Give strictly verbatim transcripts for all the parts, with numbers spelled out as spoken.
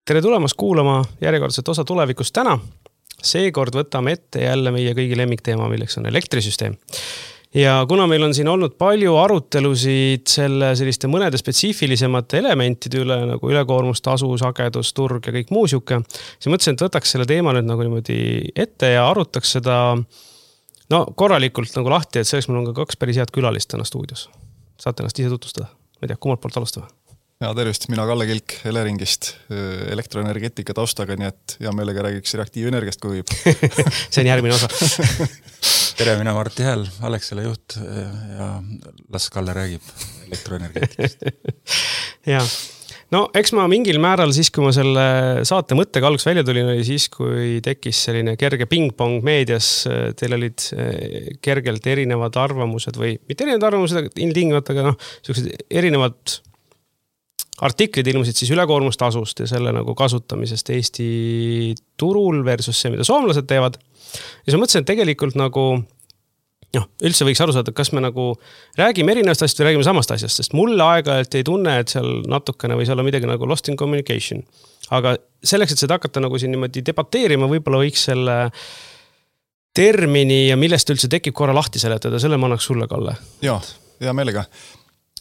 Tere tulemast kuulama järjekordset osa tulevikust täna. Seekord võtame ette jälle meie kõigi lemmikteema, milleks on elektrisüsteem. Ja kuna meil on siin olnud palju arutelusid selle selliste mõnede spetsiifilisemate elementide üle, nagu ülekoormus, tasu, sagedus, turg ja kõik muu siuke, siis mõtlesin, et võtaks selle teema nüüd nagu niimoodi ette ja arutaks seda no, korralikult nagu lahti, et selleks meil on ka kaks päris head külalist täna stuudios. Saate ennast ise tutvustada? Ma ei tea, kummalt poolt alustame? Ja tervist, mina Kalle Kilk Eleringist elektroenergeetika taustaga, nii et hea meelega räägiks reaktiivenergiast, kui võib. See on järgmine osa. Tere, mina Martti Hääl, Alexela juht ja las Kalle räägib elektroenergeetikast. Ja, no eks ma mingil määral siis, kui ma selle saate mõttega alguses välja tulin, oli siis, kui tekkis selline kerge ping-pong meedias, teil olid kergelt erinevad arvamused või mitte erinevad arvamused, ilmtingimata, aga noh, sellised erinevad artiklid ilmusid siis ülekoormustasust ja selle nagu kasutamisest Eesti turul versus see, mida soomlased teevad. Ja siis ma mõtlesin, et tegelikult nagu, noh, üldse võiks aru saada, kas me nagu räägime erinevast asjast või räägime samast asjast, sest mulle aeg-ajalt ei tunne, et seal natukene või seal on midagi nagu lost in communication. Aga selleks, et seda hakata nagu siin niimoodi debateerima, võib-olla võiks selle termini ja millest üldse tekib korra lahti seletada, selle ma annaks sulle, Kalle. Jaa, hea meelega.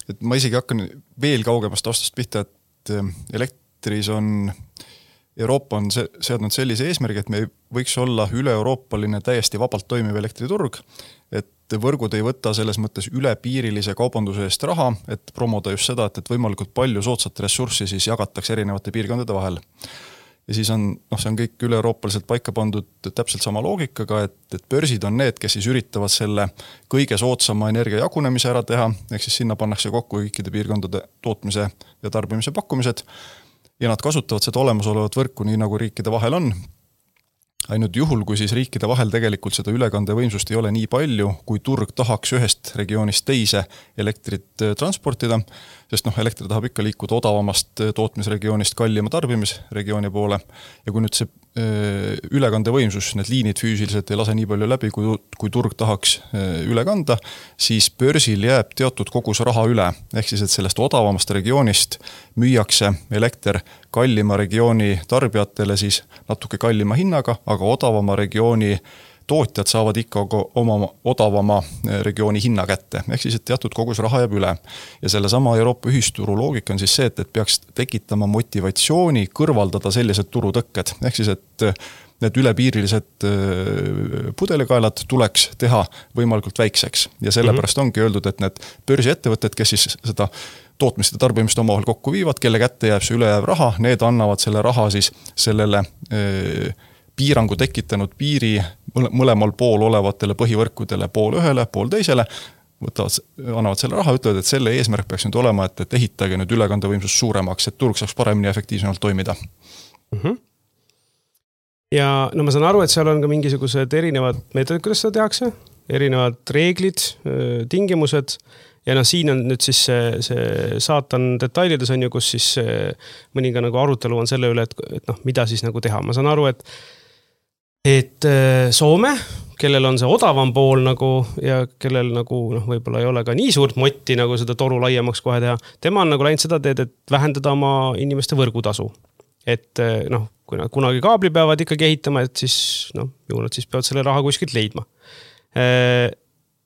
Et ma isegi hakkan veel kaugemast taustast pihta, et elektris on, Euroopa on seadnud sellise eesmärgi, et me võiks olla üle-euroopaline täiesti vabalt toimiv elektriturg, et võrgud ei võta selles mõttes ülepiirilise kaubanduse eest raha, et promoda just seda, et, et võimalikult palju soodsat ressurssi siis jagatakse erinevate piirkondade vahel. Ja siis on, noh, see on kõik üle-euroopaliselt paika pandud täpselt sama loogikaga, et, et börsid on need, kes siis üritavad selle kõige soodsama energia jagunemise ära teha, ehk siis sinna pannakse kokku kõikide piirkondade tootmise ja tarbimise pakkumised ja nad kasutavad seda olemasolevat võrku nii nagu riikide vahel on. Ainult juhul, kui siis riikide vahel tegelikult seda ülekandevõimsust ei ole nii palju, kui turg tahaks ühest regioonist teise elektrit transportida, sest noh, elektri tahab ikka liikuda odavamast tootmisregioonist kallima tarbimisregiooni poole. Ja kui nüüd see ülekandevõimsus, need liinid füüsiliselt ei lase nii palju läbi, kui, kui turg tahaks üle kanda, siis börsil jääb teatud kogus raha üle. Ehk siis, et sellest odavamast regioonist müüakse elekter kallima regiooni tarbijatele siis natuke kallima hinnaga, aga odavama regiooni tootjad saavad ikka oma odavama regiooni hinna kätte. Ehk siis, et teatud kogus raha jääb üle. Ja selle sama Euroopa ühisturu loogika on siis see, et, et peaks tekitama motivatsiooni kõrvaldada sellised turutõkked. Ehk siis, et need ülepiirilised pudelikaelad tuleks teha võimalikult väikseks. Ja sellepärast ongi öeldud, et need börsiettevõtted, kes siis seda tootmist ja tarbimist omavahel kokku viivad, kelle kätte jääb see ülejääv raha, need annavad selle raha siis sellele öö, piirangu tekitanud piiri mõlemal pool olevatele põhivõrkudele, pool ühele, pool teisele, võtavad, annavad selle raha, ütlevad, et selle eesmärk peaks nüüd olema, et, et ehitage nüüd ülekandevõimsus suuremaks, et turg saaks paremini ja efektiivsemalt toimida. Mm-hmm. Ja no ma saan aru, et seal on ka mingisugused erinevad meetodid, kuidas seda tehakse, erinevad reeglid, tingimused. Ja noh, siin on nüüd siis see, see saatan detailides on ju, kus siis mõninga nagu arutelu on selle üle, et, et noh, mida siis nagu teha. Ma saan aru, et et Soome, kellel on see odavam pool nagu ja kellel nagu noh, võib-olla ei ole ka nii suurt motti nagu seda toru laiemaks kohe teha, tema on nagu läinud seda teed, et vähendada oma inimeste võrgutasu. Et noh, kui nad kunagi kaabli peavad ikkagi ehitama, et siis noh, ju nad siis peavad selle raha kuskilt leidma.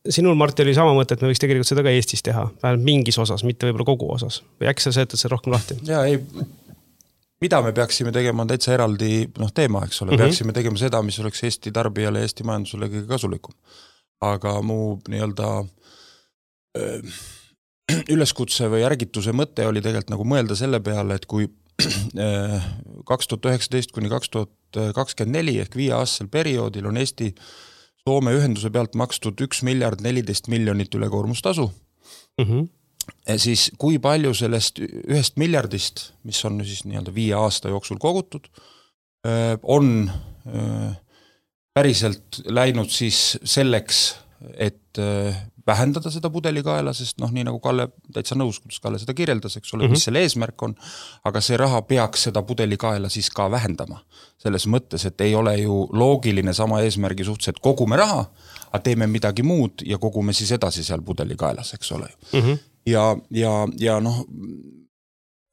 Sinul, Martti, oli sama mõte, et me võiks tegelikult seda ka Eestis teha, vähemalt mingis osas, mitte võib-olla kogu osas. Või äkki sa seetad see rohkem lahti? Jaa, ei, mida me peaksime tegema on täitsa eraldi noh, teema, eks ole. Mm-hmm. Peaksime tegema seda, mis oleks Eesti tarbijale ja Eesti majandusele kõige kasulikum. Aga mu nii-öelda öö, üleskutse või järgituse mõte oli tegelikult nagu mõelda selle peale, et kui öö, kaks tuhat üheksateist kuni kaks tuhat kakskümmend neli ehk viie aastasel perioodil on Eesti Soome ühenduse pealt makstud üks miljard neliteist miljonit ülekoormustasu, mm-hmm. siis kui palju sellest ühest miljardist, mis on siis nii-öelda viie aasta jooksul kogutud, on päriselt läinud siis selleks, et vähendada seda pudelikaela, sest noh, nii nagu Kalle täitsa nõus, kuidas Kalle seda kirjeldas, eks ole, mm-hmm. mis selle eesmärk on, aga see raha peaks seda pudelikaela siis ka vähendama. Selles mõttes, et ei ole ju loogiline sama eesmärgi suhtes, et kogume raha, aga teeme midagi muud ja kogume siis edasi seal pudelikaelas, eks ole. Mm-hmm. Ja, ja, ja noh,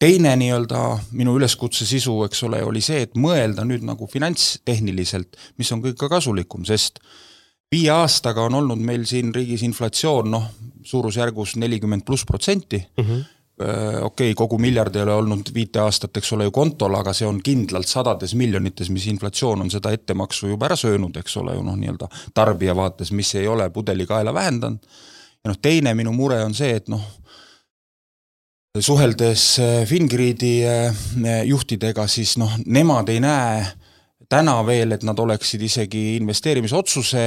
teine nii-öelda minu üleskutse sisu, eks ole, oli see, et mõelda nüüd nagu finantstehniliselt, mis on kõik ka kasulikum, sest viie aastaga on olnud meil siin riigis inflatsioon, noh, suurusjärgus nelikümmend pluss protsenti. Mm-hmm. Okei, okay, kogu miljard ei ole olnud viite aastat, eks ole ju kontol, aga see on kindlalt sadades miljonites, mis inflatsioon on seda ettemaksu juba ära söönud, eks ole ju, noh, nii-öelda tarbija vaates, mis ei ole pudelikaela vähendanud. Ja noh, teine minu mure on see, et noh, suheldes Fingriidi juhtidega, siis noh, nemad ei näe täna veel, et nad oleksid isegi investeerimisotsuse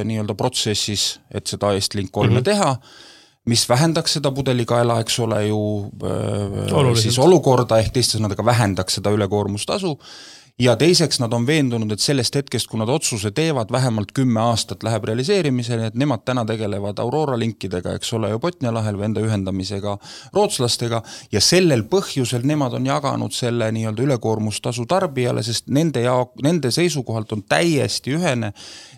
nii-öelda protsessis, et seda Estlink kolme mm-hmm. teha, mis vähendaks seda pudelikaela, eks ole ju äh, siis olukorda, ehk teiste sõnadega vähendaks seda ülekoormustasu. Ja teiseks nad on veendunud, et sellest hetkest, kui nad otsuse teevad, vähemalt kümme aastat läheb realiseerimisele, et nemad täna tegelevad Aurora linkidega, eks ole ju Botnia lahel või enda ühendamisega rootslastega, ja sellel põhjusel nemad on jaganud selle nii-öelda ülekoormustasu tarbijale, sest nende, jaok, nende seisukohalt on täiesti ühene,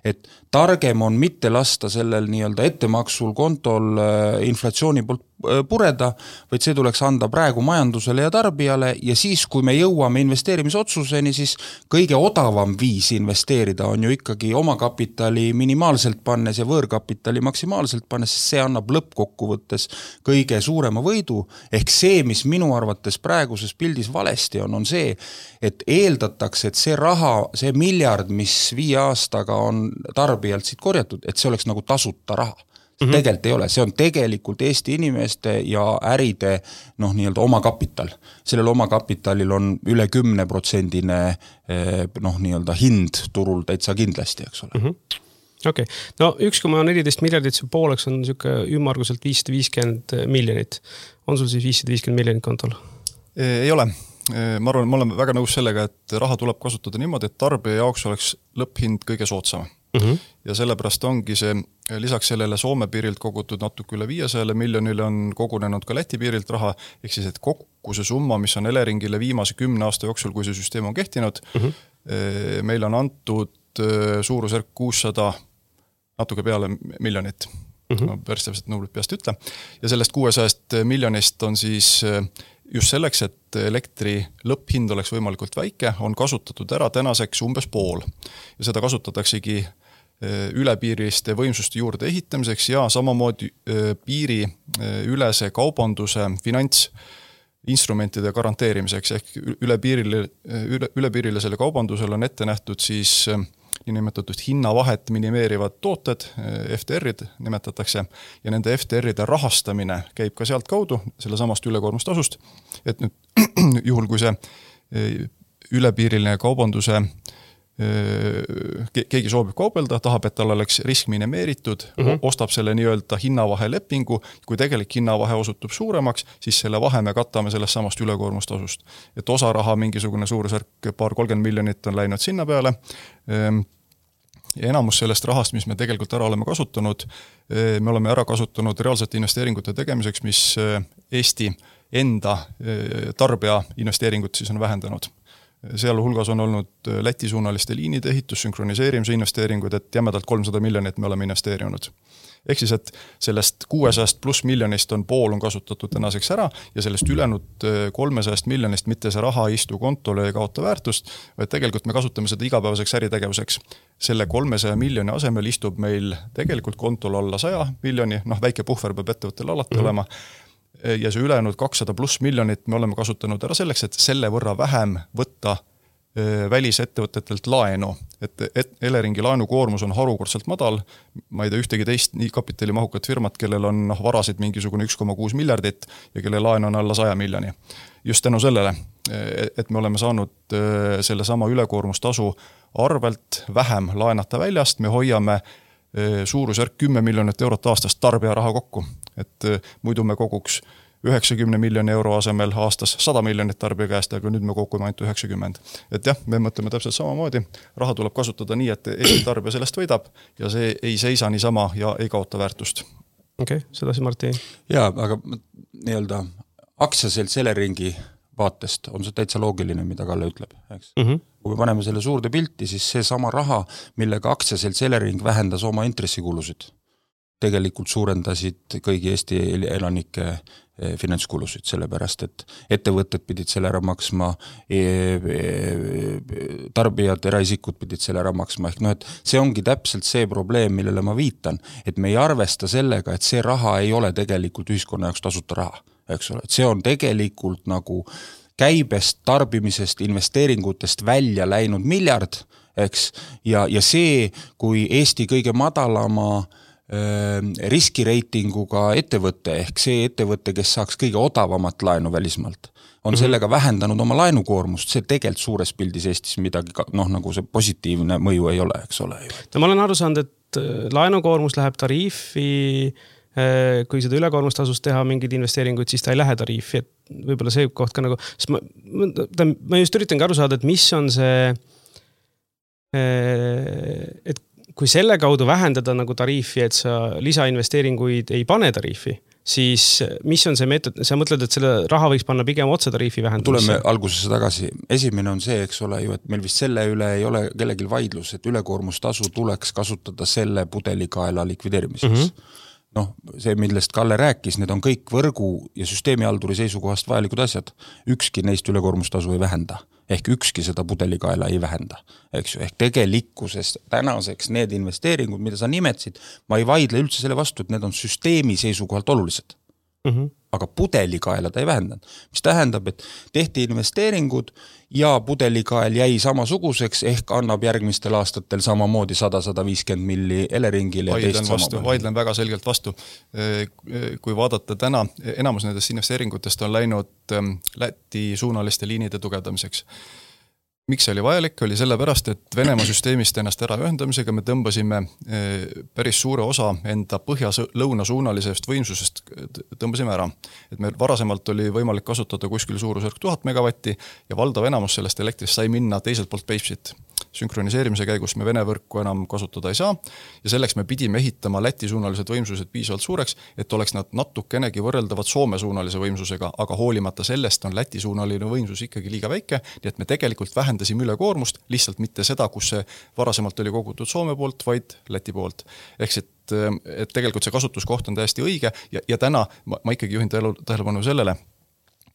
et targem on mitte lasta sellel nii-öelda ettemaksul kontol inflatsiooni poolt pureda, vaid see tuleks anda praegu majandusele ja tarbijale ja siis, kui me jõuame investeerimisotsuseni, siis kõige odavam viis investeerida on ju ikkagi oma kapitali minimaalselt pannes ja võõrkapitali maksimaalselt pannes, sest see annab lõppkokkuvõttes kõige suurema võidu. Ehk see, mis minu arvates praeguses pildis valesti on, on see, et eeldatakse, et see raha, see miljard, mis viie aastaga on tarbijalt siit korjatud, et see oleks nagu tasuta raha. Mm-hmm. Tegelikult ei ole, see on tegelikult Eesti inimeste ja äride noh, nii-öelda oma kapital. Sellel oma kapitalil on üle kümne protsendine noh, nii-öelda hind turul täitsa kindlasti, eks ole. Mm-hmm. Okei, okay. No üks koma neliteist miljardit see pooleks on niisugune ümmarguselt viissada viiskümmend miljonit. On sul siis viissada viiskümmend miljonit kontol? Ei ole. Ma arvan, ma olen väga nõus sellega, et raha tuleb kasutada niimoodi, et tarbija jaoks oleks lõpphind kõige soodsam. Mm-hmm. Ja sellepärast ongi see, lisaks sellele Soome piirilt kogutud natuke üle viiesaja miljonile on kogunenud ka Läti piirilt raha, ehk siis, et kokku see summa, mis on Eleringile viimase kümne aasta jooksul, kui see süsteem on kehtinud, mm-hmm. meil on antud suurusjärk kuussada natuke peale miljonit. Mm-hmm. Ma päris täpselt numbrit peast ütle. Ja sellest kuuesajast miljonist on siis just selleks, et elektri lõpphind oleks võimalikult väike, on kasutatud ära tänaseks umbes pool. Ja seda kasutataksegi ülepiiriliste võimsuste juurde ehitamiseks ja samamoodi piiri ülese kaubanduse finantsinstrumentide garanteerimiseks. Ehk ülepiirile, üle, ülepiirilisele kaubandusele on ette nähtud siis niinimetatud hinnavahet minimeerivad tooted, F T R-id nimetatakse, ja nende F T R-ide rahastamine käib ka sealt kaudu, selle samast ülekoormustasust, et nüüd juhul, kui see ülepiiriline kaubanduse keegi soovib kaubelda, tahab, et tal oleks risk minimeeritud, mm-hmm. ostab selle nii-öelda hinnavahe lepingu, kui tegelik hinnavahe osutub suuremaks, siis selle vahe me katame sellest samast ülekoormustasust. Et osa raha mingisugune suurusjärk paar kolmkümmend miljonit on läinud sinna peale. Ja enamus sellest rahast, mis me tegelikult ära oleme kasutanud, me oleme ära kasutanud reaalsete investeeringute tegemiseks, mis Eesti enda tarbija investeeringut siis on vähendanud. Seal hulgas on olnud Läti suunaliste liinide ehitus, sünkroniseerimise investeeringud, et jämedalt kolmsada miljonit me oleme investeerinud. Ehk siis, et sellest kuuesajast pluss miljonist on pool on kasutatud tänaseks ära ja sellest ülejäänud kolmesajast miljonist mitte see raha istu kontole ja kaota väärtust, vaid tegelikult me kasutame seda igapäevaseks äritegevuseks. Selle kolmesaja miljoni asemel istub meil tegelikult kontol alla saja miljoni, noh väike puhver peab ettevõttel alati mm-hmm. olema. Ja see ülejäänud kakssada pluss miljonit me oleme kasutanud ära selleks, et selle võrra vähem võtta välisettevõtetelt laenu. Et, et Eleringi laenukoormus on harukordselt madal. Ma ei tea ühtegi teist nii kapitalimahukat firmat, kellel on noh, varasid mingisugune üks koma kuus miljardit ja kelle laen on alla saja miljoni. Just tänu sellele, et me oleme saanud selle sama ülekoormustasu arvelt vähem laenata väljast, me hoiame suurusjärk kümme miljonit eurot aastast tarbija raha kokku. Et muidu me koguks üheksakümne miljoni euro asemel aastas sada miljonit tarbija käest, aga nüüd me kogume ainult üheksakümmend. Et jah, me mõtleme täpselt samamoodi. Raha tuleb kasutada nii, et Eesti tarbija sellest võidab ja see ei seisa niisama ja ei kaota väärtust. Okei, okay, sedasi Marti. Jaa, aga nii-öelda aktsiaselt Eleringi vaatest on see täitsa loogiline, mida Kalle ütleb. Eks? Mm-hmm. Kui me paneme selle suurde pilti, siis see sama raha, millega aktsiaselt Elering vähendas oma intressikulusid. tegelikult suurendasid kõigi Eesti elanike finantskulusid, sellepärast et ettevõtted pidid selle ära maksma, tarbijad, eraisikud pidid selle ära maksma, ehk noh, et see ongi täpselt see probleem, millele ma viitan, et me ei arvesta sellega, et see raha ei ole tegelikult ühiskonna jaoks tasuta raha, eks ole, et see on tegelikult nagu käibest, tarbimisest, investeeringutest välja läinud miljard, eks, ja, ja see, kui Eesti kõige madalama riskireitinguga ettevõtte, ehk see ettevõte, kes saaks kõige odavamat laenu välismaalt, on mm-hmm. sellega vähendanud oma laenukoormust, see tegelikult suures pildis Eestis midagi, noh, nagu see positiivne mõju ei ole, eks ole. No ma olen aru saanud, et laenukoormus läheb tariifi, kui seda ülekoormustasust teha mingeid investeeringuid, siis ta ei lähe tariifi, et võib-olla see koht ka nagu, sest ma, ma just üritangi aru saada, et mis on see, et kui selle kaudu vähendada nagu tariifi, et sa lisainvesteeringuid ei pane tariifi, siis mis on see meetod, sa mõtled, et selle raha võiks panna pigem otse tariifi vähendamisse? Tuleme algusesse tagasi. Esimene on see, eks ole ju, et meil vist selle üle ei ole kellelgi vaidlus, et ülekoormustasu tuleks kasutada selle pudelikaela likvideerimiseks. Mm-hmm. Noh, see, millest Kalle rääkis, need on kõik võrgu ja süsteemihalduri seisukohast vajalikud asjad. Ükski neist ülekoormustasu ei vähenda. Ehk ükski seda pudelikaela ei vähenda. Eks ju, ehk tegelikkuses tänaseks need investeeringud, mida sa nimetsid, ma ei vaidle üldse selle vastu, et need on süsteemi seisukohalt olulised. Mm-hmm. Aga pudelikaela ta ei vähendanud. Mis tähendab, et tehti investeeringud ja pudelikael jäi samasuguseks, ehk annab järgmistel aastatel samamoodi sada kuni sada viiskümmend milli Eleringile. Vaidlen, vastu, vaidlen väga selgelt vastu. Kui vaadata täna, enamus nendest investeeringutest on läinud Läti suunaliste liinide tugevdamiseks. Miks see oli vajalik? Oli sellepärast, et Venemaa süsteemist ennast ära ühendamisega me tõmbasime päris suure osa enda põhja-lõuna suunalisest võimsusest tõmbasime ära. Et meil varasemalt oli võimalik kasutada kuskil suurusjärk tuhat megavatti ja valdav enamus sellest elektrist sai minna teiselt poolt Peipsit. Sünkroniseerimise käigus me Vene võrku enam kasutada ei saa ja selleks me pidime ehitama Läti suunalised võimsused piisavalt suureks, et oleks nad natukenegi võrreldavad Soome suunalise võimsusega, aga hoolimata sellest on Läti suunaline võimsus ikkagi liiga väike, nii et me tegelikult vähendasime ülekoormust, lihtsalt mitte seda, kus see varasemalt oli kogutud Soome poolt, vaid Läti poolt. Ehk et, et tegelikult see kasutuskoht on täiesti õige ja, ja täna ma, ma ikkagi juhin tähelepanu sellele,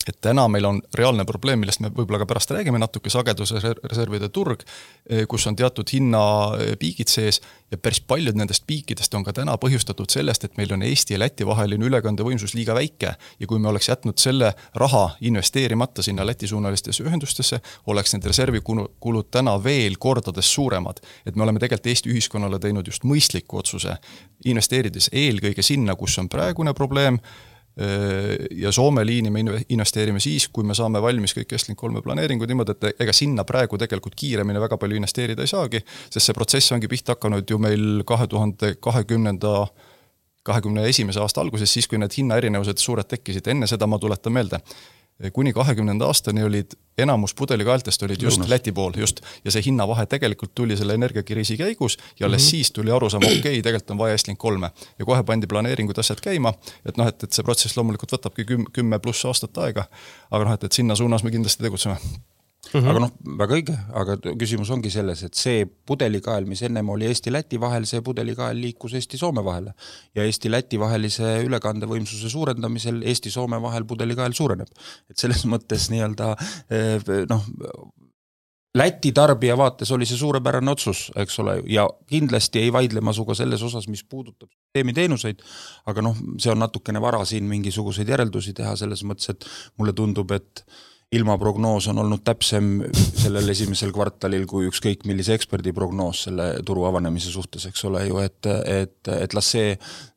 et täna meil on reaalne probleem, millest me võib-olla ka pärast räägime natuke, sagedusreservide turg, kus on teatud hinnapiigid sees ja päris paljud nendest piikidest on ka täna põhjustatud sellest, et meil on Eesti ja Läti vaheline ülekandevõimsus liiga väike ja kui me oleks jätnud selle raha investeerimata sinna Läti suunalistesse ühendustesse, oleks need reservikulud täna veel kordades suuremad. Et me oleme tegelikult Eesti ühiskonnale teinud just mõistliku otsuse, investeerides eelkõige sinna, kus on praegune probleem, ja Soome liini me investeerime siis, kui me saame valmis kõik Estlink kolme planeeringud niimoodi, et ega sinna praegu tegelikult kiiremini väga palju investeerida ei saagi, sest see protsess ongi pihta hakanud ju meil kahe tuhande kahekümnenda kahekümne esimese aasta alguses, siis kui need hinnaerinevused suured tekkisid, enne seda ma tuletan meelde. Kuni kahekümnenda aastani olid enamus pudelikaeltest olid just Lõunas. Läti pool, just, ja see hinnavahe tegelikult tuli selle energiakriisi käigus ja alles mm-hmm. siis tuli aru saama, okei, okay, tegelikult on vaja Estlink kolme ja kohe pandi planeeringud asjad käima, et noh, et, et see protsess loomulikult võtabki kümme pluss aastat aega, aga noh, et, et sinna suunas me kindlasti tegutseme. Mm-hmm. Aga noh, väga õige, aga küsimus ongi selles, et see pudelikael, mis ennem oli Eesti-Läti vahel, see pudelikael liikus Eesti-Soome vahele ja Eesti-Läti vahelise ülekandevõimsuse suurendamisel Eesti-Soome vahel pudelikael suureneb. Et selles mõttes nii-öelda noh, Läti tarbija vaates oli see suurepärane otsus, eks ole, ja kindlasti ei vaidle ma suga selles osas, mis puudutab süsteemiteenuseid, aga noh, see on natukene vara siin mingisuguseid järeldusi teha selles mõttes, et mulle tundub, et ilmaprognoos on olnud täpsem sellel esimesel kvartalil kui ükskõik millise eksperdi prognoos selle turu avanemise suhtes, eks ole ju, et, et, et las, see,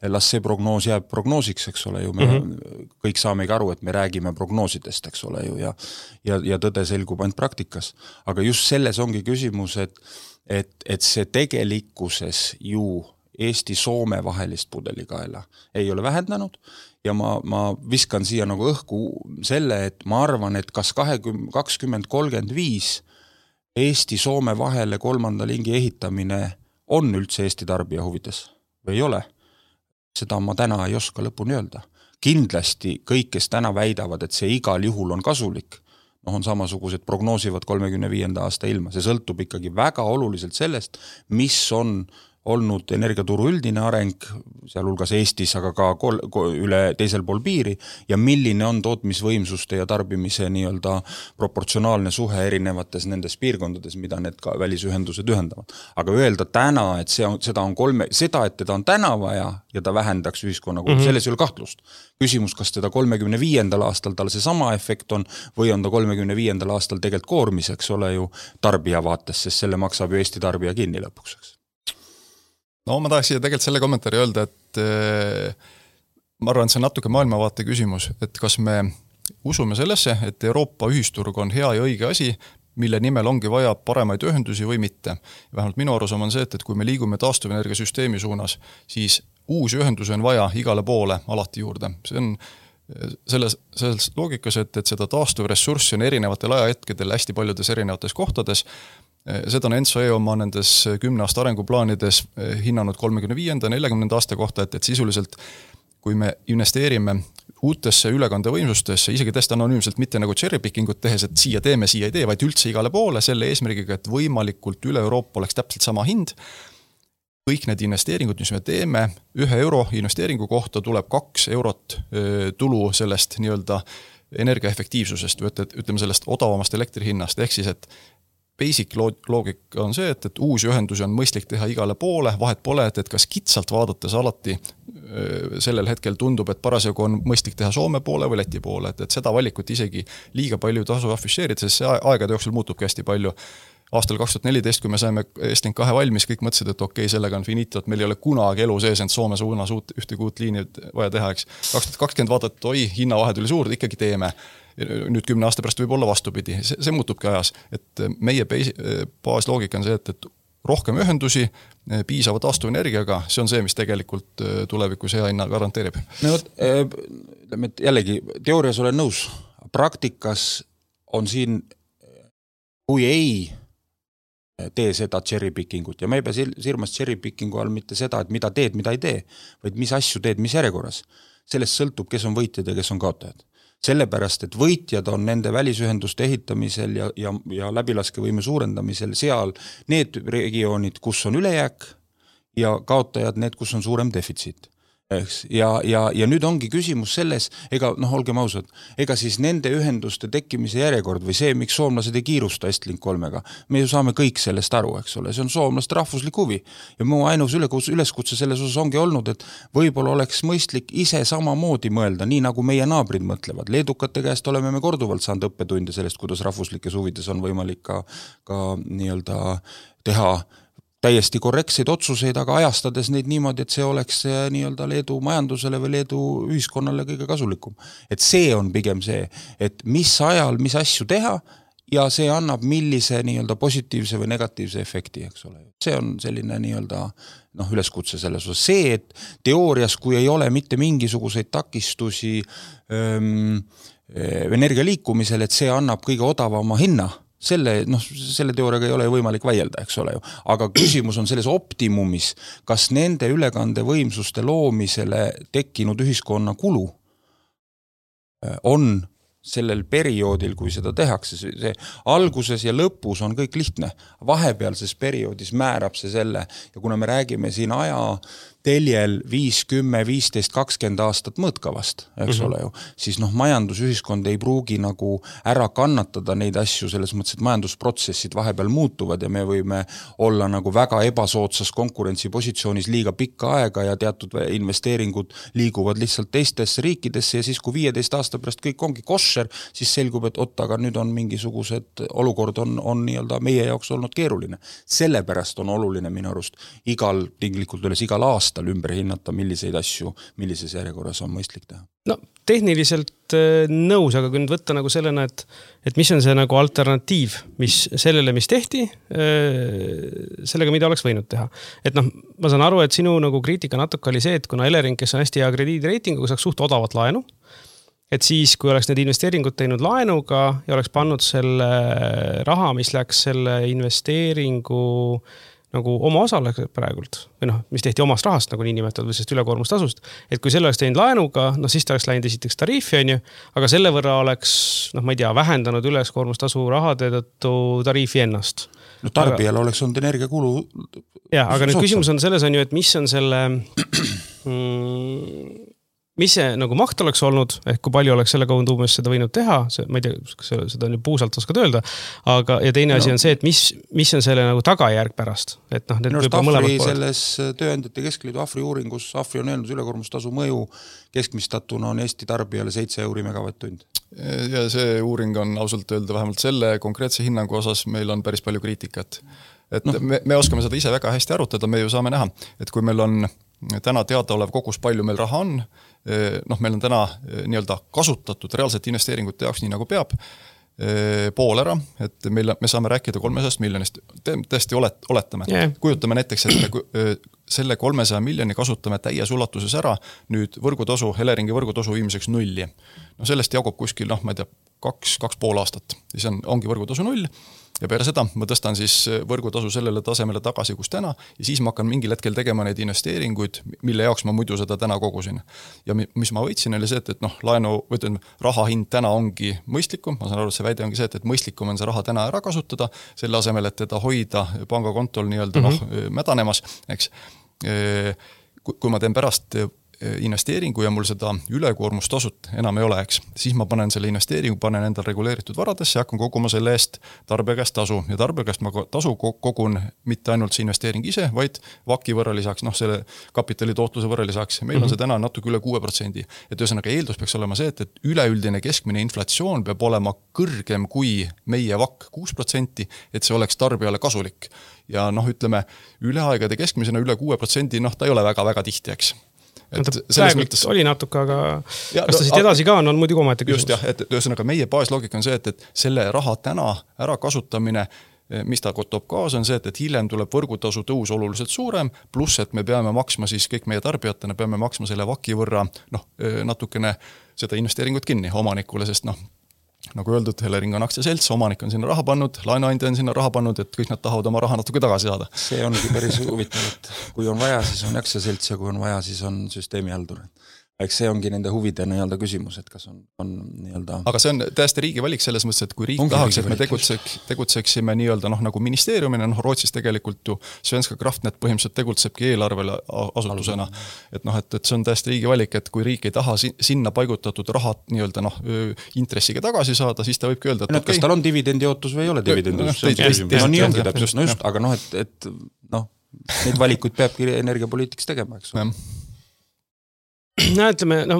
las see prognoos jääb prognoosiks, eks ole ju, me mm-hmm. kõik saamegi aru, et me räägime prognoosidest, eks ole ju, ja, ja, ja tõde selgub ainult praktikas. Aga just selles ongi küsimus, et, et, et see tegelikkuses ju Eesti-Soome vahelist pudelikaela ei ole vähendanud ja ma, ma viskan siia nagu õhku selle, et ma arvan, et kas kakskümmend kolmkümmend viis Eesti-Soome vahele kolmanda lingi ehitamine on üldse Eesti tarbija huvides või ei ole. Seda ma täna ei oska lõpuni öelda. Kindlasti kõik, kes täna väidavad, et see igal juhul on kasulik, noh on samasugused prognoosivad kolmekümne viienda aasta ilma. See sõltub ikkagi väga oluliselt sellest, mis on olnud energiaturu üldine areng, sealhulgas Eestis, aga ka kol, üle teisel pool piiri ja milline on tootmisvõimsuste ja tarbimise nii-öelda proportsionaalne suhe erinevates nendes piirkondades, mida need ka välisühendused ühendavad. Aga öelda täna, et see on, seda on kolme, seda, et teda on täna vaja ja ta vähendaks ühiskonna, mm-hmm. selles ei ole kahtlust. Küsimus, kas teda kolmekümne viiendal aastal tal see sama efekt on või on ta kolmekümne viiendal aastal tegelikult koormiseks, ole ju tarbija vaates, sest selle maksab ju Eesti tarbija kinni lõpuks. No ma tahaks siia tegelikult selle kommentaari öelda, et ma arvan, et see on natuke maailmavaate küsimus, et kas me usume sellesse, et Euroopa ühisturg on hea ja õige asi, mille nimel ongi vaja paremaid ühendusi või mitte. Vähemalt minu arusaam on see, et kui me liigume taastuvenergiasüsteemi suunas, siis uusi ühendusi on vaja igale poole alati juurde. See on selles, selles loogikas, et, et seda taastuvressurssi on erinevatel ajahetkedel hästi paljudes erinevates kohtades. Seda on Enso E oma nendes kümne aasta arenguplaanides hinnanud kolmekümne viienda neljakümnenda aasta kohta, et, et sisuliselt kui me investeerime uutesse ülekandevõimsustesse, isegi täiesti anonüümselt mitte nagu cherrypickingut tehes, et siia teeme, siia ei tee, vaid üldse igale poole selle eesmärgiga, et võimalikult üle Euroopa oleks täpselt sama hind. Kõik need investeeringud, mis me teeme, ühe euro investeeringu kohta tuleb kaks eurot tulu sellest nii-öelda energiaefektiivsusest, või ütleme sellest odavamast elektrihinnast, ehk siis, et basic loogika on see, et, et uusi ühendusi on mõistlik teha igale poole, vahet pole, et, et kas kitsalt vaadates alati sellel hetkel tundub, et parasjagu on mõistlik teha Soome poole või Läti poole, et, et seda valikut isegi liiga palju tasu afišeerida, sest see aegade jooksul muutubki hästi palju. Aastal kaks tuhat neliteist, kui me saime Estlink kahe valmis, kõik mõtlesid, et okei, sellega on finito, et meil ei ole kunagi elu sees, et Soome suunas uut, ühte kuut liini vaja teha, eks. kaks tuhat kakskümmend vaadata, et oi, hinnavahed oli suur, ikkagi teeme. Nüüd kümne aasta pärast võib olla vastupidi. See, see muutubki ajas. Et meie baasloogika on see, et, et rohkem ühendusi, piisava taastuvenergiaga, see on see, mis tegelikult tulevikus hea hinna garanteerib. No, ütleme, et jällegi, teoorias olen nõus. Praktikas on siin, kui ei tee seda cherrypickingut ja me ei pea silmas cherrypickingu all mitte seda, et mida teed, mida ei tee, vaid mis asju teed, mis järjekorras. Sellest sõltub, kes on võitjad ja kes on kaotajad. Sellepärast, et võitjad on nende välisühenduste ehitamisel ja, ja, ja läbilaskevõime suurendamisel seal need regioonid, kus on ülejääk ja kaotajad need, kus on suurem defitsiit. Ja, ja, ja nüüd ongi küsimus selles, ega noh, olgem ausad, ega siis nende ühenduste tekkimise järjekord või see, miks soomlased ei kiirusta Estlink kolmega, me ju saame kõik sellest aru, eks ole, see on soomlaste rahvuslik huvi ja mu ainus üleskutse selles osas ongi olnud, et võib-olla oleks mõistlik ise samamoodi mõelda, nii nagu meie naabrid mõtlevad. Leedukate käest oleme me korduvalt saanud õppetunde sellest, kuidas rahvuslikes huvides on võimalik ka, ka nii-öelda teha täiesti korrektseid otsuseid, aga ajastades neid niimoodi, et see oleks nii-öelda Leedu majandusele või Leedu ühiskonnale kõige kasulikum. Et see on pigem see, et mis ajal, mis asju teha ja see annab millise nii-öelda positiivse või negatiivse efekti, eks ole. See on selline nii-öelda noh, üleskutse selles osas. See, et teoorias, kui ei ole mitte mingisuguseid takistusi ähm, energia liikumisel, et see annab kõige odavama hinna, Selle, noh, selle teooriaga ei ole võimalik vaielda, eks ole ju. Aga küsimus on selles optimumis, kas nende ülekandevõimsuste loomisele tekkinud ühiskonna kulu on sellel perioodil, kui seda tehakse, see alguses ja lõpus on kõik lihtne. Vahepealses perioodis määrab see selle ja kuna me räägime siin aja teljel viis, kümme, viisteist, kakskümmend aastat mõõtkavast, eks mm-hmm. ole ju, siis noh, majandusühiskond ei pruugi nagu ära kannatada neid asju selles mõttes, et majandusprotsessid vahepeal muutuvad ja me võime olla nagu väga ebasootsas konkurentsipositsioonis liiga pikka aega ja teatud investeeringud liiguvad lihtsalt teistesse riikidesse ja siis kui viieteist aasta pärast kõik ongi kosher, siis selgub, et oot, aga nüüd on mingisugused olukord on, on nii-öelda meie jaoks olnud keeruline. Sellepärast on oluline minu arust igal, tinglikult üles igal aasta ümber hinnata, milliseid asju, millises järjekorras on mõistlik teha. No, tehniliselt nõus, aga kui nüüd võtta nagu sellena, et, et mis on see nagu alternatiiv, mis sellele, mis tehti, sellega, mida oleks võinud teha. Et noh, ma saan aru, et sinu nagu kriitika natuke oli see, et kuna Elering, kes on hästi hea krediidireitinguga, saaks suht odavat laenu, et siis, kui oleks need investeeringud teinud laenuga ja oleks pannud selle raha, mis läks selle investeeringu nagu oma osale praegult, või noh, mis tehti omast rahast nagu nii nimetatud või sest ülekoormustasust, et kui selle oleks teinud laenuga, noh siis ta oleks läinud esiteks tariifi, on ju, aga selle võrra oleks, noh ma ei tea, vähendanud ülekoormustasu rahade tõttu tariifi ennast. no tarbijal aga... oleks olnud energiakulu. Ja, aga nüüd küsimus on selles on ju, et mis on selle mm, mis see nagu maht oleks olnud, ehk kui palju oleks selle kaudu umbes seda võinud teha, see, ma ei tea, kas seda nüüd puusalt oskad öelda, aga ja teine no. asi on see, et mis, mis on selle nagu tagajärg pärast. Et noh, need no, Afri selles tööandjate keskliidu Afri uuringus, Afri on öelnud ülekoormustasu mõju keskmistatuna on Eesti tarbijale seitse euri megavatt-tund. Ja see uuring on ausalt öelda vähemalt selle konkreetse hinnangu osas meil on päris palju kriitikat. Et no. me, me oskame seda ise väga hästi arutada, me ju saame näha, et kui meil on täna teada olev kogus, palju meil raha on, noh, meil on täna nii-öelda kasutatud reaalselt investeeringute jaoks nii nagu peab, pool ära, et meil, me saame rääkida kolmesajast miljonist, tõesti olet, oletame. Yeah. Kujutame näiteks, et me selle kolmesaja miljoni kasutame täies ulatuses ära nüüd võrgutasu, Eleringi võrgutasu viimiseks nulli. No sellest jagub kuskil, noh, ma ei tea, kaks, kaks pool aastat. Siis on, ongi võrgutasu null ja peale seda ma tõstan siis võrgutasu sellele tasemele tagasi, kus täna ja siis ma hakkan mingil hetkel tegema neid investeeringuid, mille jaoks ma muidu seda täna kogusin. Ja mis ma võitsin oli see, et, et noh, laenu, võtlen, raha hind täna ongi mõistlikum, ma saan aru, et see väide ongi see, et, et mõistlikum on see raha täna ära kasutada, selle asemel, et teda hoida pangakontol nii-öelda mm-hmm. noh, mädanemas, eks. Kui ma teen pärast investeeringu ja mul seda ülekoormustasut enam ei ole, eks, siis ma panen selle investeeringu, panen endal reguleeritud varadesse ja hakkan koguma selle eest tarbija käest tasu. Ja tarbija käest ma tasu kogun mitte ainult see investeering ise, vaid vaki võrra lisaks, noh, selle kapitali tootluse võrra lisaks. Meil on see täna natuke üle kuue protsendi. Et ühesõnaga eeldus peaks olema see, et, et üleüldine keskmine inflatsioon peab olema kõrgem kui meie vak kuus protsenti, et see oleks tarbijale kasulik. Ja noh, ütleme, üle aegade keskmisena üle kuue protsendi, noh, ta ei ole väga-väga tihti, eks. Praegu mõttes... oli natuke, aga ja, kas ta siit edasi ka on, on muidugi omaette küsimus. Just jah, et ühesõnaga meie baasloogika on see, et, et selle raha täna ära kasutamine, mis ta toob kaasa, on see, et, et hiljem tuleb võrgutasu tõus oluliselt suurem, pluss, et me peame maksma siis kõik meie tarbijatena, peame maksma selle vaki võrra noh, natukene seda investeeringut kinni omanikule, sest noh, nagu öeldud, Elering on aktsiaselts, omanik on sinna raha pannud, laenuandja on sinna raha pannud, et kõik nad tahavad oma raha natuke tagasi saada. See ongi päris huvitav, et kui on vaja, siis on aktsiaselts ja kui on vaja, siis on süsteemihaldur. Eks see ongi nende huvide nii-öelda küsimus, et kas on, on nii-öelda... Aga see on täiesti riigi valik selles mõttes, et kui riik ongi tahaks, et me tegutseks, tegutseksime nii-öelda noh, nagu ministeeriumina, noh Rootsis tegelikult ju Svenska Kraftnet põhimõtteliselt tegutsebki eelarvele asutusena. Et noh, et, et see on täiesti riigi valik, et kui riik ei taha sinna paigutatud rahat nii-öelda noh, intressiga tagasi saada, siis ta võibki öelda, et no, okay. Kas tal on dividendiotus või ei ole dividendiotus? No, no nii ongi täpselt, no just, aga noh, et, et noh, neid valikuid peabki energiapoliitikas tegema, eks ole. No, ütleme, no,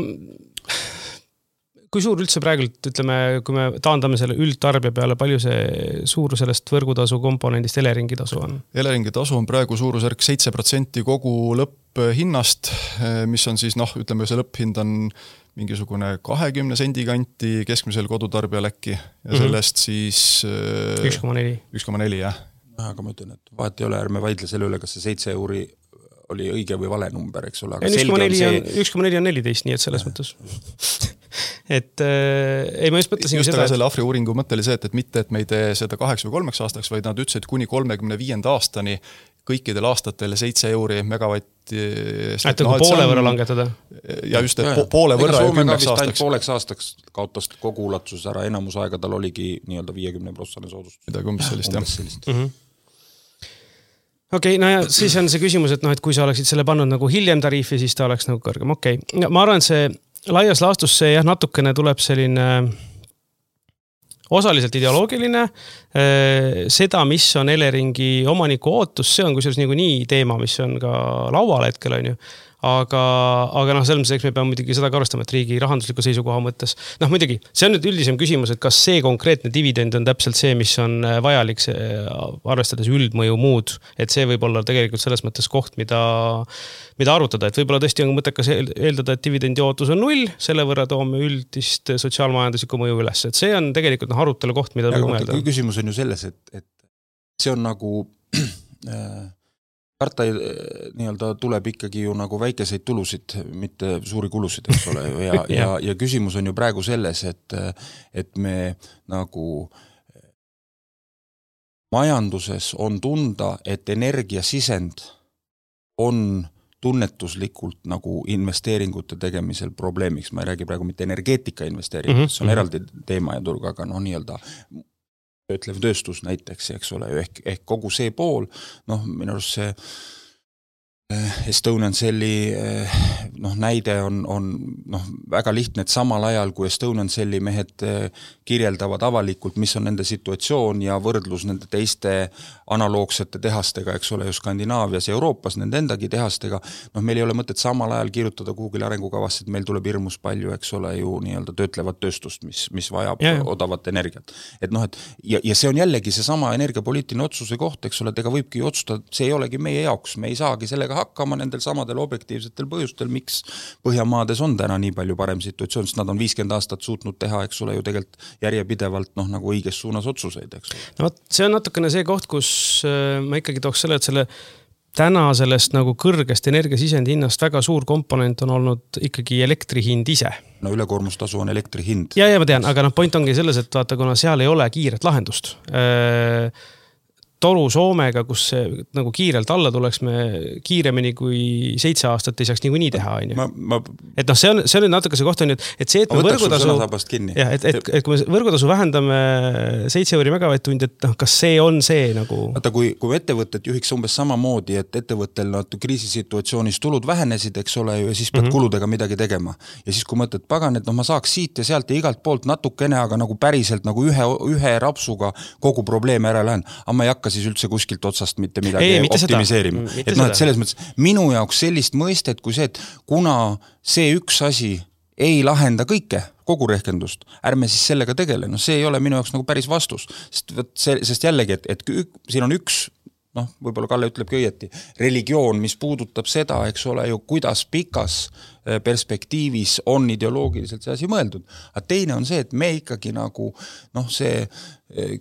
kui suur üldse praegult, ütleme, kui me taandame selle üldtarbija peale, palju see suur sellest võrgutasu komponendist Eleringi tasu on? Eleringi tasu on praegu suurusjärk seitse protsenti kogu lõpphinnast, mis on siis, noh, ütleme, see lõpphind on mingisugune kahekümne sendi kanti keskmisel kodutarbijal äkki ja sellest siis üks koma neli. üks koma neli, jah. Aga ma ütlen, et vahet ei ole, ärme vaidle selle üle, kas see seitse euri oli õige või vale number, eks ole. üks koma neli on, üks koma neli on neliteist, nii et selles ja. Mõttes. et äh, ei, ma just mõtlesin just seda, aga selle Afri uuringu mõte oli see, et, et mitte, et me ei tee seda kaheks või kolmeks aastaks, vaid nad ütlesid kuni kolmekümne viienda aastani kõikidel aastatel seitse euri megavatti. Et no, poole võrra langetada. Ja just, et ja, poole võrra ja kümneks aastaks. Pooleks aastaks kaotas kogu ulatuses ära, enamus aega tal oligi nii-öelda viiekümne protsenti soodustus. Midagi umbes sellist, jah. Sellist. Mm-hmm. Okei, okay, no ja siis on see küsimus, et noh, et kui sa oleksid selle pannud nagu hiljem tariifi, siis ta oleks nagu kõrgem. Okei, okay. Ma arvan, et see laias laastus see jah, natukene tuleb selline osaliselt ideoloogiline. Seda, mis on Eleringi omaniku ootus, see on kusjuures nagu nii teema, mis on ka laual hetkel on ju. Aga, aga noh, selles mõttes me peame muidugi seda ka arvestama, et riigi rahandusliku seisukoha mõttes. Noh, muidugi, see on nüüd üldisem küsimus, et kas see konkreetne dividend on täpselt see, mis on vajalik see, arvestades üldmõju muud, et see võib olla tegelikult selles mõttes koht, mida, mida arutada, et võib-olla tõesti on mõttekas eeldada, et dividendi ootus on null, selle võrra toome üldist sotsiaalmajanduslikku mõju üles, et see on tegelikult noh, arutelu koht, mida nagu mõelda. Küsimus on ju selles, et, et see on nagu karta nii-öelda tuleb ikkagi ju nagu väikeseid tulusid, mitte suuri kulusid, eks ole. Ja, ja, ja küsimus on ju praegu selles, et, et me nagu majanduses on tunda, et energiasisend on tunnetuslikult nagu investeeringute tegemisel probleemiks. Ma ei räägi praegu mitte energeetika investeeringud, mm-hmm. see on eraldi teema ja turg, aga noh nii-öelda töötlev tööstus näiteks, eks ole, ehk, ehk kogu see pool, noh, minu arust see Estonian Celli noh, näide on, on noh, väga lihtne, et samal ajal, kui Estonian Celli mehed kirjeldavad avalikult, mis on nende situatsioon ja võrdlus nende teiste analoogsete tehastega, eks ole, ju Skandinaavias ja Euroopas, nende endagi tehastega, noh, meil ei ole mõtet samal ajal kirjutada kuhugile arengukavasse, et meil tuleb hirmus palju, eks ole, ju nii-öelda töötlevat tööstust, mis, mis vajab yeah. odavat energiat. Et noh, et ja, ja see on jällegi see sama energiapoliitiline otsuse koht, eks ole, et ega võibki otsustada, see ei olegi meie jaoks, me ei saagi sellega hakkama nendel samadel objektiivsetel põhjustel, miks Põhjamaades on täna nii palju parem situatsioon, sest nad on viiskümmend aastat suutnud teha, eks ole, ju tegelikult järjepidevalt noh, nagu õiges suunas otsuseid, eks ole. No see on natukene see koht, kus ma ikkagi tooks selle, et selle täna sellest nagu kõrgest energiasisendi hinnast väga suur komponent on olnud ikkagi elektrihind ise. No ülekoormustasu on elektri hind. Ja, ja ma tean, aga noh, point ongi selles, et vaata, kuna seal ei ole kiiret lahendust. Toru Soomega, kus see nagu kiirelt alla tuleks me kiiremini kui seitse aastat ei saaks niikuinii teha. Ma, ma... Et noh, see on, see on natuke see koht on, et see, et me võrgutasu, ja, et, et, et kui me võrgutasu vähendame seitse euri megavatt-tund, et noh, kas see on see nagu... Vaata, kui, kui ettevõtted juhiks umbes samamoodi, et ettevõttel nad kriisisituatsioonis tulud vähenesid, eks ole, ja siis pead mm-hmm. kuludega midagi tegema. Ja siis kui mõtled, pagan, et noh, ma saaks siit ja sealt ja igalt poolt natukene, aga nagu päriselt nagu ühe, ühe rapsuga kogu probleeme ära lähen. Aga ma ei hakka siis üldse kuskilt otsast mitte midagi ei, mitte optimiseerima. Et noh, et selles mõttes minu jaoks sellist mõistet kui see, et kuna see üks asi ei lahenda kõike, kogu rehkendust, ärme siis sellega tegele. No see ei ole minu jaoks nagu päris vastus. Sest, see, sest jällegi, et, et ük, siin on üks, noh, võib-olla Kalle ütlebki õieti, religioon, mis puudutab seda, eks ole ju, kuidas pikas perspektiivis on ideoloogiliselt see asi mõeldud. Aga teine on see, et me ikkagi nagu, noh, see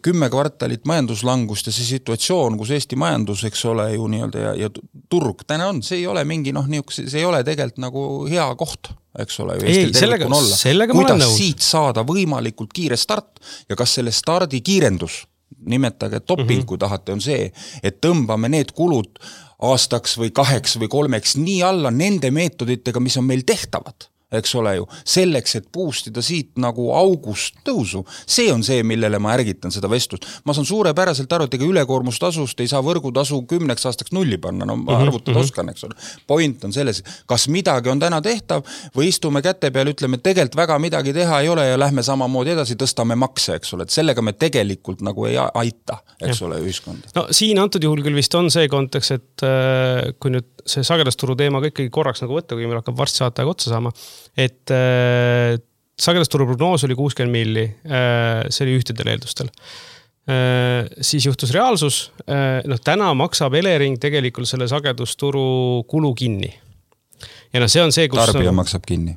kümme kvartalit majanduslangust ja see situatsioon, kus Eesti majandus, eks ole ju nii-öelda ja, ja turg täna on, see ei ole mingi, noh, see ei ole tegelikult nagu hea koht, eks ole ju Eestil sellega, olla. Kuidas siit saada võimalikult kiire start ja kas selle stardi kiirendus, nimetage topping, mm-hmm. kui tahate, on see, et tõmbame need kulud aastaks või kaheks või kolmeks nii alla nende meetoditega, mis on meil tehtavad. Eks ole ju, selleks, et puustida siit nagu august tõusu. See on see, millele ma ärgitan seda vestlust. Ma saan suurepäraselt aru, et ega ülekoormustasust ei saa võrgutasu kümneks aastaks nulli panna, no ma arvutada oskan, eks ole. Point on selles, kas midagi on täna tehtav või istume käte peal, ütleme, et tegelikult väga midagi teha ei ole ja lähme samamoodi edasi, tõstame makse, eks ole, et sellega me tegelikult nagu ei aita, eks ja. Ole, ühiskonda. No siin antud juhul küll vist on see kontekst, et äh, kui nüüd see sagedasturu teema ikkagi korraks nagu võtta, kui meil hakkab varsti saatajaga otsa saama, et äh, sagedasturu prognoos oli kuuskümmend milli, äh, see oli ühtedel eeldustel. Äh, siis juhtus reaalsus, äh, noh, täna maksab Elering tegelikult selle sagedusturu kulu kinni. Ja noh, see on see, kus... Tarbija on... maksab kinni.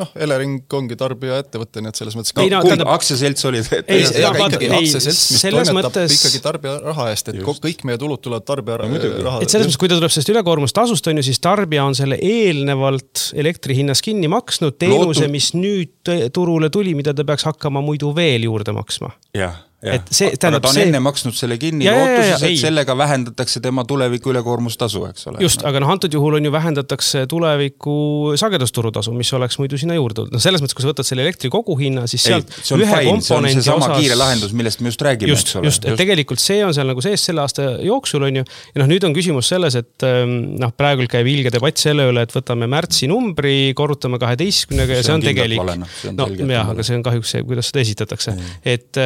Noh, Elering ongi tarbija ettevõte, nii et selles mõttes... Ei, no, kumb aktsiaselts oli? Ei, ei, ei, aga ikkagi aktsiaselts, mis toimetab mõttes... ikkagi tarbija raha eest, et just. Kõik meie tulud tulevad tarbija no, raha. Et selles mõttes, kui ta tuleb sellest ülekoormustasust, on ju, siis tarbija on selle eelnevalt elektrihinnas kinni maksnud teenuse, Lootud... mis nüüd turule tuli, mida ta peaks hakkama muidu veel juurde maksma. Jah. Ja. Et see, aga ta on see... enne maksnud selle kinni ja, lootuses, ja, ja, et ei. Sellega vähendatakse tema tuleviku ülekoormustasu, eks ole. Just, no. Aga noh, antud juhul on ju vähendatakse tuleviku sagedusturutasu, mis oleks muidu sinna juurde. No selles mõttes, kui sa võtad selle elektri koguhinna, siis ei, sealt see ühe fine. Komponendi see on see sama osas... kiire lahendus, millest me just räägime, just, eks ole. Just, et just. Tegelikult see on seal nagu sees selle aasta jooksul, on ju. Ja noh, nüüd on küsimus selles, et noh, praegu käib ilge debatt selle üle, et võtame märtsi numbri, korrutame kaheteistkümnega ja see on, see on tegelik. See on no, jah, aga see on kahjuks see, kuidas seda esitatakse. Mm. Et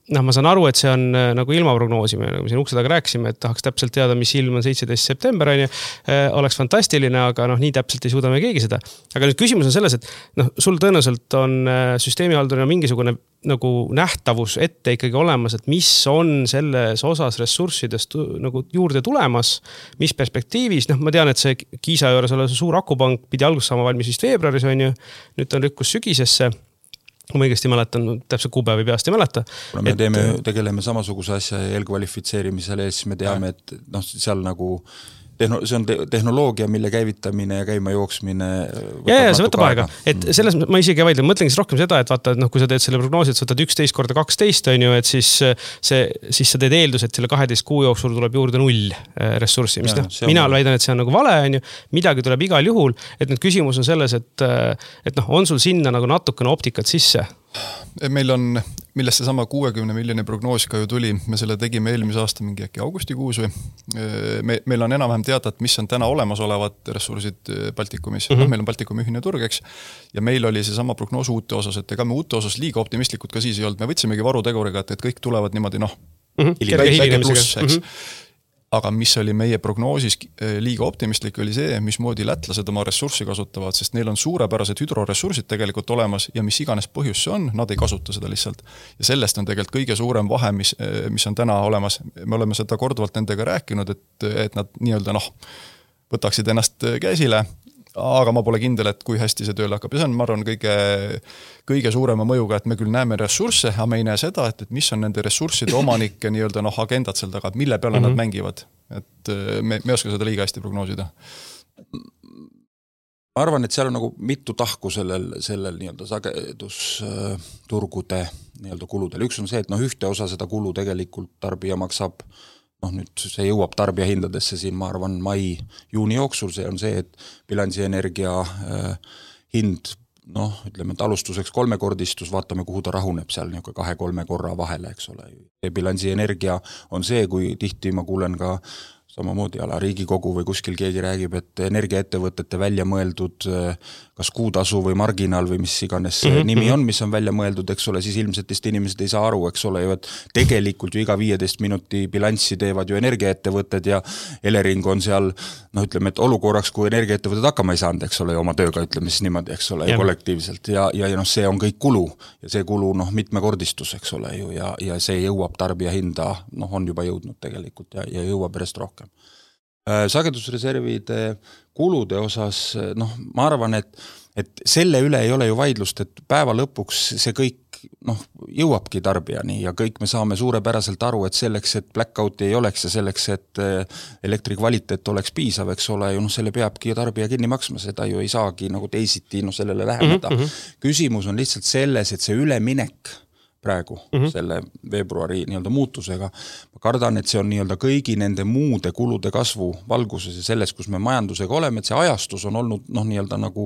noh, ma saan aru, et see on nagu ilma prognoosime, nagu me siin ukse taga rääkisime, et tahaks täpselt teada, mis ilm on seitseteist september, on ju, oleks fantastiline, aga noh, nii täpselt ei suuda me keegi seda. Aga nüüd küsimus on selles, et noh, sul tõenäoliselt on süsteemihaldurina mingisugune nagu nähtavus ette ikkagi olemas, et mis on selles osas ressurssidest nagu juurde tulemas, mis perspektiivis, noh, ma tean, et see Kiisa juures ole see suur akupank pidi alguses saama valmis vist veebruaris, on ju, nüüd on rükkus sügisesse. Kui ma õigesti mäletan, täpselt kuupäevi peast ei mäleta. Kuna me et, teeme, tegeleme samasuguse asja eelkvalifitseerimisele ja siis me teame, et noh, seal nagu tehno, see on te, tehnoloogia, mille käivitamine ja käima jooksmine ja, ja see võtab aega. Et selles ma isegi vaidle, mõtlengi siis rohkem seda, et vaata, et noh, kui sa teed selle prognoosi, et sa võtad üksteist korda kaksteist, on ju, et siis, see, siis sa teed eeldus, et selle kaheteist kuu jooksul tuleb juurde null ressurssi, mis ja, noh, mina on... väidan, et see on nagu vale, on ju, midagi tuleb igal juhul, et nüüd küsimus on selles, et, et noh, on sul sinna nagu natukene optikat sisse Meil on, millest see sama kuuekümne miljoni prognoos ka ju tuli, me selle tegime eelmise aasta mingi äkki augustikuus või me, meil on enam-vähem teada, et mis on täna olemasolevad ressursid Baltikumis. Mm-hmm. No, meil on Baltikumi ühine turg, eks, ja meil oli see sama prognoos uute osas, et ega me uute osas liiga optimistlikud ka siis ei olnud. Me võtsimegi varuteguriga, et, et kõik tulevad niimoodi, noh, mm-hmm. väike pluss, eks. Mm-hmm. Aga mis oli meie prognoosis liiga optimistlik, oli see, mismoodi lätlased oma ressurssi kasutavad, sest neil on suurepärased hüdroressursid tegelikult olemas ja mis iganes põhjus see on, nad ei kasuta seda lihtsalt. Ja sellest on tegelikult kõige suurem vahe, mis, mis on täna olemas. Me oleme seda korduvalt nendega rääkinud, et, et nad nii-öelda noh, võtaksid ennast käsile, aga ma pole kindel, et kui hästi see tööle hakkab. Ja see on, ma arvan, kõige, kõige suurema mõjuga, et me küll näeme ressursse, aga me ei näe seda, et, et mis on nende ressursside omanike nii-öelda noh, agendad seal taga, mille peale mm-hmm. nad mängivad. Et me, me oska seda liiga hästi prognoosida. Ma arvan, et seal on nagu mitu tahku sellel, sellel nii-öelda sagedusturgude nii-öelda kuludel. Üks on see, et noh, ühte osa seda kulu tegelikult tarbija maksab. noh nüüd see jõuab tarbija hindadesse siin, ma arvan, mai-juuni jooksul, see on see, et bilansienergia äh, hind, noh, ütleme, et alustuseks kolmekordistus, vaatame, kuhu ta rahuneb seal niisugune kahe-kolme korra vahele, eks ole. Bilansienergia on see, kui tihti ma kuulen ka samamoodi ala Riigikogu või kuskil keegi räägib, et energiaettevõtete välja mõeldud kas kuutasu või marginaal või mis iganes mm-hmm. nimi on, mis on välja mõeldud, eks ole, siis ilmselt teist inimesed ei saa aru, eks ole ju, et tegelikult ju iga viieteist minuti bilanssi teevad ju energiaettevõtted ja Elering on seal, noh ütleme, et olukorraks, kui energiaettevõtted hakkama ei saanud, eks ole, oma tööga ütleme siis niimoodi, eks ole, ja kollektiivselt ja, ja, ja noh, see on kõik kulu ja see kulu, noh, mitmekordistus, eks ole ju, ja, ja see jõuab tarbija hinda, noh, on juba jõudnud tegelikult ja, ja jõuab järjest rohkem. Sagedusreservide kulude osas, noh, ma arvan, et, et selle üle ei ole ju vaidlust, et päeva lõpuks see kõik, noh, jõuabki tarbijani ja kõik me saame suurepäraselt aru, et selleks, et blackouti ei oleks ja selleks, et elektri kvaliteet oleks piisav, eks ole, ju noh, selle peabki tarbija kinni maksma, seda ju ei saagi nagu teisiti, noh, sellele läheneda. Mm-hmm. Küsimus on lihtsalt selles, et see üleminek praegu mm-hmm. selle veebruari nii-öelda muutusega. Ma kardan, et see on nii-öelda kõigi nende muude kulude kasvu valguses ja selles, kus me majandusega oleme, et see ajastus on olnud noh, nii-öelda nagu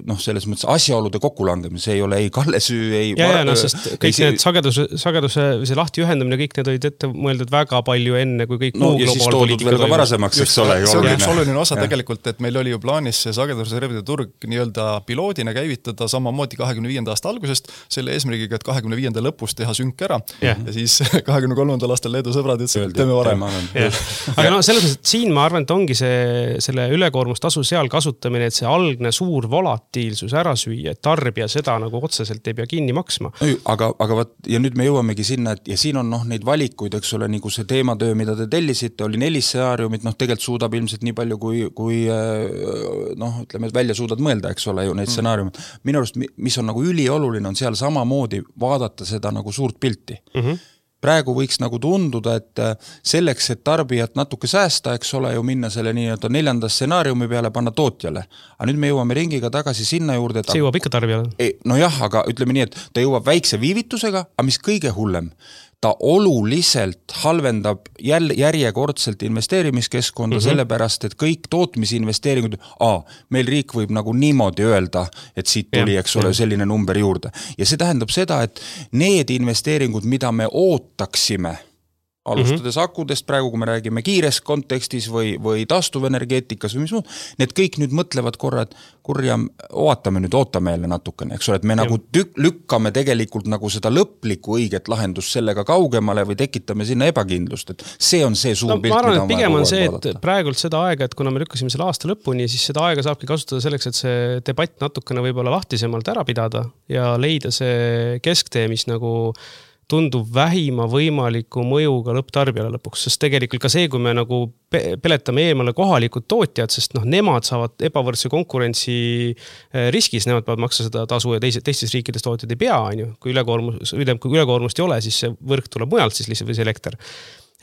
noh, selles mõttes asjaolude kokkulangemine, see ei ole ei Kalle süü, ei... Ja, ja no, sest kõik ei, need sageduse, sageduse või see lahti ühendamine, kõik need olid ette mõeldud väga palju enne, kui kõik no, muu globaalpoliitika veel ka varasemaks, eks ole. See on üks oluline osa ja. Tegelikult, et meil oli ju plaanis see sagedusreservide turg nii-öelda piloodina käivitada samamoodi kahekümne viienda aasta algusest selle eesmärgiga, et kahekümne viienda lõpus teha sünk ära yeah. ja siis kahekümne kolmandal aastal Leedu sõbrad ütlesid, et teeme varem. Yeah. Aga no selles mõttes, et siin ma arvan, et ongi see, selle ülekoormustasu seal kasutamine, et see algne suur volatiilsus ära süüa, et tarbija seda nagu otseselt ei pea kinni maksma. Aga, aga vaat, ja nüüd me jõuamegi sinna, et ja siin on noh, neid valikuid, eks ole, nagu see teematöö, mida te tellisite, oli neli stsenaariumit, noh tegelikult suudab ilmselt nii palju, kui, kui noh, ütleme, et välja suudad mõelda, eks ole, ju neid mm. stsenaariumid. Minu arust, mis on nagu ülioluline, on seal samamoodi vaadata seda nagu suurt pilti. Mm-hmm. Praegu võiks nagu tunduda, et selleks, et tarbijat natuke säästa, eks ole, ju minna selle nii-öelda neljanda stsenaariumi peale, panna tootjale. Aga nüüd me jõuame ringiga tagasi sinna juurde, et... See jõuab ikka tarbijale. No jah, aga ütleme nii, et ta jõuab väikse viivitusega, aga mis kõige hullem, ta oluliselt halvendab jäl, järjekordselt investeerimiskeskkonda mm-hmm. sellepärast, et kõik tootmisinvesteeringud, aa, meil riik võib nagu niimoodi öelda, et siit tuli, eks ole, selline number juurde. Ja see tähendab seda, et need investeeringud, mida me ootaksime, alustades mm-hmm. akudest praegu, kui me räägime kiires kontekstis või, või taastuvenergeetikas või mis muud, need kõik nüüd mõtlevad korra, et kurja, ootame nüüd, ootame jälle natukene, eks ole, et me ja. Nagu tük, lükkame tegelikult nagu seda lõplikku õiget lahendust sellega kaugemale või tekitame sinna ebakindlust, et see on see suur no, pilt, mida on pigem on see, et praegult seda aega, et kuna me lükkasime selle aasta lõpuni, siis seda aega saabki kasutada selleks, et see debatt natukene võib-olla lahtisemalt ära pidada ja leida see kesktee, mis nagu tundub vähima võimaliku mõjuga lõpptarbijale lõpuks, sest tegelikult ka see, kui me nagu peletame eemale kohalikud tootjad, sest noh, nemad saavad ebavõrdse konkurentsi riskis, nemad peavad maksa seda tasu ja teised, teistes riikides tootjad ei pea, on ju. Kui ülekoormus, kui ülekoormust ei ole, siis see võrk tuleb mujalt siis lihtsalt või see elekter.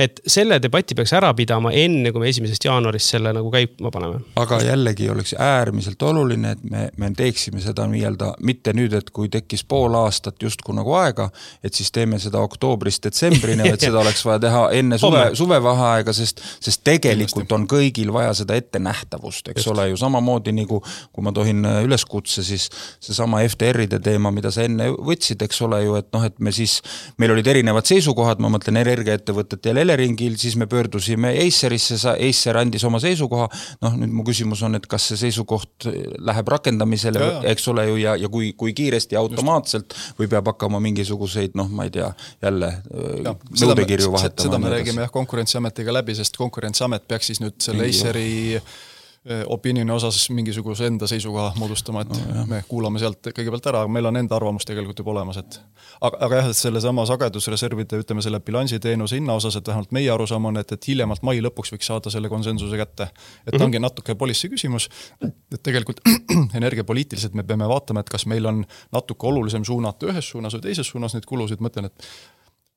et selle debati peaks ära pidama enne, kui me esimesest jaanuarist selle nagu käima paneme. Aga jällegi oleks äärmiselt oluline, et me, me teeksime seda nii-öelda mitte nüüd, et kui tekkis pool aastat justkui nagu aega, et siis teeme seda oktoobrist detsembrini, et seda oleks vaja teha enne suve, suvevaheaega, sest, sest tegelikult on kõigil vaja seda ette nähtavust, eks Just. ole ju samamoodi nagu, kui ma tohin üleskutse, siis see sama F T R-ide teema, mida sa enne võtsid, eks ole ju, et noh, et me siis, meil olid erinevad seisukohad, ma mõtlen energiaettevõtet ja Eleringil, siis me pöördusime Acerisse, Acer andis oma seisukoha, noh nüüd mu küsimus on, et kas see seisukoht läheb rakendamisele, ja, ja. eks ole ju, ja, ja kui, kui kiiresti ja automaatselt Just. või peab hakkama mingisuguseid, noh ma ei tea, jälle ja, nõudekirju vahetama. Seda me räägime jah Konkurentsiametiga läbi, sest Konkurentsiamet peaks siis nüüd selle Aceri opinioni osas mingisuguse enda seisukoha moodustama, et no, me kuulame sealt kõigepealt ära, aga meil on enda arvamus tegelikult juba olemas, et aga, aga jah, et selle sama sagedusreservide, ütleme selle bilansiteenuse hinna osas, et vähemalt meie arusaam on, et, et hiljemalt mai lõpuks võiks saada selle konsensuse kätte. Et mm-hmm. ongi natuke policy küsimus, et tegelikult energiapoliitiliselt me peame vaatama, et kas meil on natuke olulisem suunata ühes suunas või teises suunas neid kulusid, mõtlen, et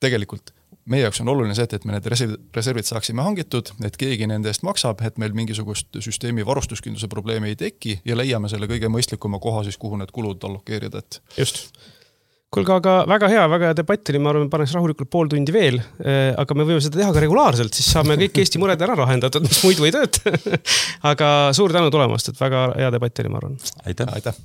tegelikult meie jaoks on oluline see, et me need reservid saaksime hangitud, et keegi nende eest maksab, et meil mingisugust süsteemi varustuskindluse probleemi ei teki ja leiame selle kõige mõistlikuma koha siis, kuhu need kulud allokeerida. Et... Just. Kuulge, aga väga hea, väga hea debatt oli, ma arvan, paneks rahulikult pool tundi veel, aga me võime seda teha ka regulaarselt, siis saame kõik Eesti mured ära lahendatud, mis muidu ei tööta. Aga suur tänu tulemast, et väga hea debatt oli, ma arvan. Aitäh. Aitäh.